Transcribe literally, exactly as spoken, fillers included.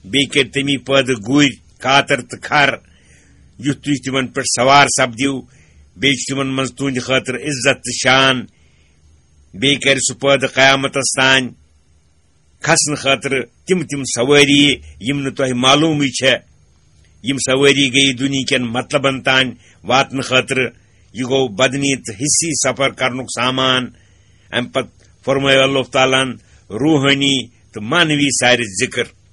بیٚیہِ کٔرۍ تٔمی پٲدٕ گُرۍ، کاتر تہٕ کھر، یُتھ تُہۍ تِمن پٮ۪ٹھ سوار سپدِو۔ بیٚیہِ چھُ تِمن منٛز تُہنٛدِ خٲطرٕ عزت تہٕ شان۔ بیٚیہِ کَرِ سُہ پٲدٕ قیامتس تام کھسنہٕ خٲطرٕ تِم تِم سوٲری، یِم نہٕ تۄہہِ معلومٕے چھےٚ۔ یِم سوٲری گٔیہِ دُنیہکٮ۪ن مطلبن تام واتنہٕ خٲطرٕ۔ یہِ گوٚو بدنی تہٕ حصی سفر کرنُک سامان۔ اَمہِ پتہٕ فرمٲو اللہ تعالیٰ ہن روحٲنی تہٕ معنوی سارِ ذکر۔